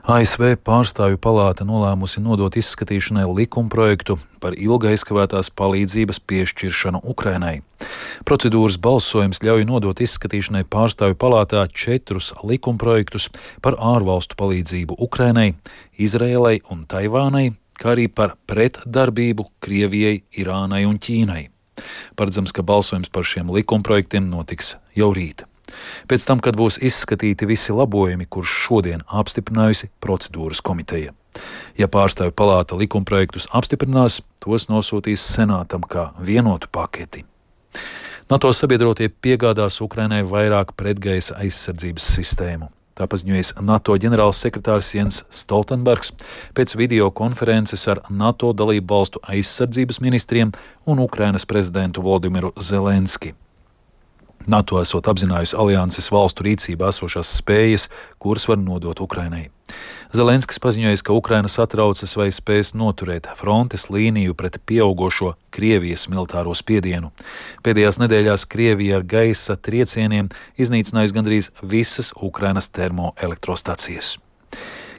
ASV pārstāvju palāta nolēmusi nodot izskatīšanai likumprojektu par ilga aizkavētās palīdzības piešķiršanu Ukrainai. Procedūras balsojums ļauj nodot izskatīšanai pārstāvju palātā 4 likumprojektus par ārvalstu palīdzību Ukrainai, Izrēlai un Taivānai, kā arī par pretdarbību Krievijai, Irānai un Ķīnai. Paredzams, ka balsojums par šiem likumprojektiem notiks jau rīt. Pēc tam, kad būs izskatīti visi labojumi, kurus šodien apstiprinājusi procedūras komiteja. Ja pārstāvju palāta likumprojektus apstiprinās, tos nosūtīs senātam kā vienotu paketi. NATO sabiedrotie piegādās Ukrainai vairāk pretgaisa aizsardzības sistēmu. Tā paziņojas NATO ģenerālsekretārs Jens Stoltenbergs pēc videokonferences ar NATO dalību valstu aizsardzības ministriem un Ukrainas prezidentu Volodimiru Zelenski. NATO esot apzinājusi alianses valstu rīcībā esošās spējas, kuras var nodot Ukrainai. Zelenskis paziņojis, ka Ukraina satraucas vai spēs noturēt frontes līniju pret pieaugošo Krievijas militāro spiedienu. Pēdējās nedēļās Krievija ar gaisa triecieniem iznīcinājusi gandrīz visas Ukrainas termoelektrostacijas.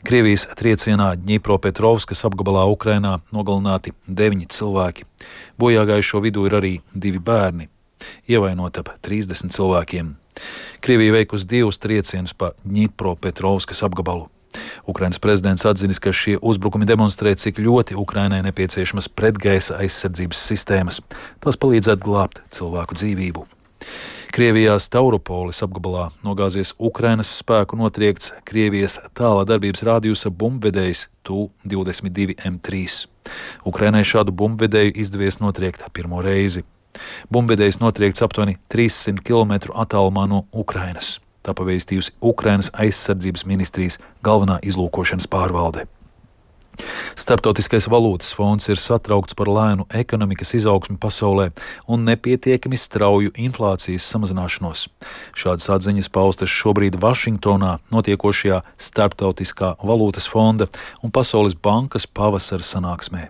Krievijas triecienā Ņipropetrovskas apgabalā Ukrainā nogalināti 9 cilvēki. Bojāgājušo vidū ir arī 2 bērni. Ievainot ap 30 cilvēkiem. Krievija veikusi 2 triecienus pa Ņipropetrovskas apgabalu. Ukrainas prezidents atzinis, ka šie uzbrukumi demonstrē, cik ļoti Ukrainai nepieciešamas pretgaisa aizsardzības sistēmas. Tās palīdzētu glābt cilvēku dzīvību. Krievijā Stauropolis apgabalā nogāzies Ukrainas spēku notriekts Krievijas tālā darbības rādījusa bumbvedējs Tu-22 M3. Ukrainai šādu bumbvedēju izdevies notriekt pirmo reizi. Bumbvedējs notriekts aptuveni 300 km attālumā no Ukrainas. Tā pavēstījusi Ukrainas aizsardzības ministrijas galvenā izlūkošanas pārvalde. Starptautiskais valūtas fonds ir satraukts par lēnu ekonomikas izaugsmi pasaulē un nepietiekami strauju inflācijas samazināšanos. Šādas atziņas paustas šobrīd Vašingtonā notiekošajā Starptautiskā valūtas fonda un Pasaules bankas pavasara sanāksmē.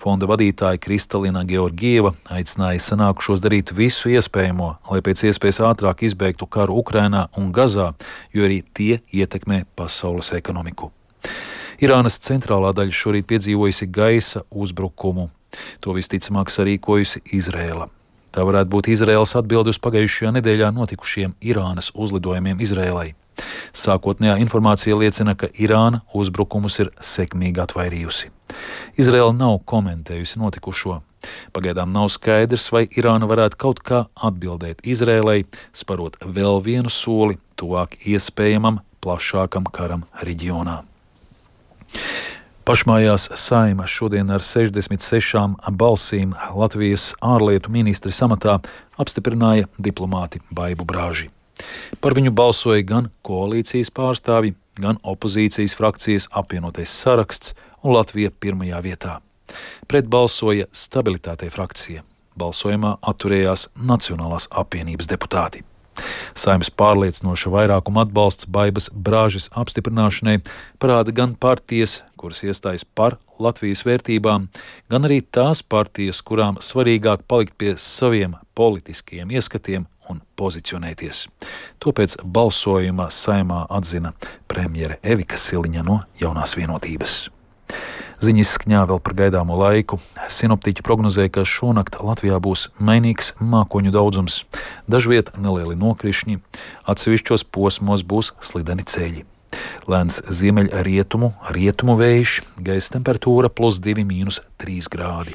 Fonda vadītāja Kristalina Georgieva aicināja sanākušos darīt visu iespējamo, lai pēc iespējas ātrāk izbeigtu karu Ukrainā un Gazā, jo arī tie ietekmē pasaules ekonomiku. Irānas centrālā daļa šorīt piedzīvojusi gaisa uzbrukumu. To visticamāk sarīkojusi Izrēla. Tā varētu būt Izrēlas atbildi uz pagājušajā nedēļā notikušiem Irānas uzlidojumiem Izrēlai. Sākotnējā informācija liecina, ka Irāna uzbrukumus ir sekmīgi atvairījusi. Izraela nav komentējusi notikušo. Pagaidām nav skaidrs, vai Irāna varētu kaut kā atbildēt Izrēlai, sparot vēl vienu soli tuvāk iespējamam plašākam karam reģionā. Pašmājās Saeima šodien ar 66 balsīm Latvijas ārlietu ministres amatā apstiprināja diplomāti Baibu Brāži. Par viņu balsoja gan koalīcijas pārstāvji, gan opozīcijas frakcijas apvienotais saraksts un Latvija pirmajā vietā. Pret balsoja Stabilitātei frakcija. Balsojumā atturējās Nacionālās apvienības deputāti. Saeimas pārliecinoša vairākuma atbalsts Baibas Brāžas apstiprināšanai parāda gan partijas, kuras iestājas par Latvijas vērtībām, gan arī tās partijas, kurām svarīgāk palikt pie saviem politiskiem ieskatiem un pozicionēties. To pēc balsojuma Saeimā atzina premjere Evika Siliņa no Jaunās vienotības. Ziņas skņā vēl par gaidāmo laiku. Sinoptiķi prognozē, ka šonakt Latvijā būs mainīgs mākoņu daudzums. Dažviet nelieli nokrišņi, atsevišķos posmos būs slideni ceļi. Lēns ziemeļrietumu vējš, gaisa temperatūra +2 - -3 grādi.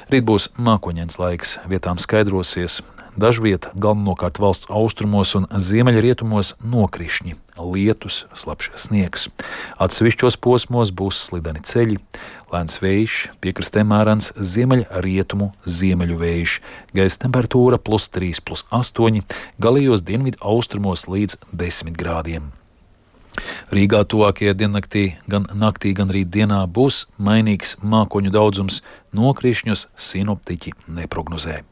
Rīt būs mākoņains laiks, vietām skaidrosies. Dažviet galvenokārt valsts austrumos un ziemeļrietumos nokrišņi, lietus, slapjš sniegs. Atsevišķos posmos būs slideni ceļi, lēns vējš, piekrastē mērens ziemeļu vējš, gaisa temperatūra +3, +8, galējos dienvidu austrumos līdz 10 grādiem. Rīgā tuvākajā diennaktī, gan naktī, gan rīt dienā būs mainīgs mākoņu daudzums, nokrišņus sinoptiķi neprognozē.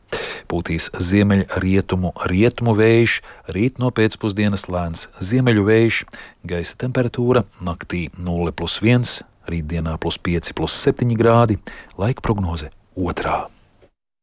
Pūtīs ziemeļrietumu vējš, rīt no pēcpusdienas lēns ziemeļu vējš, gaisa temperatūra naktī 0+1, rītdienā +5, +7 grādi, laika prognoze 2.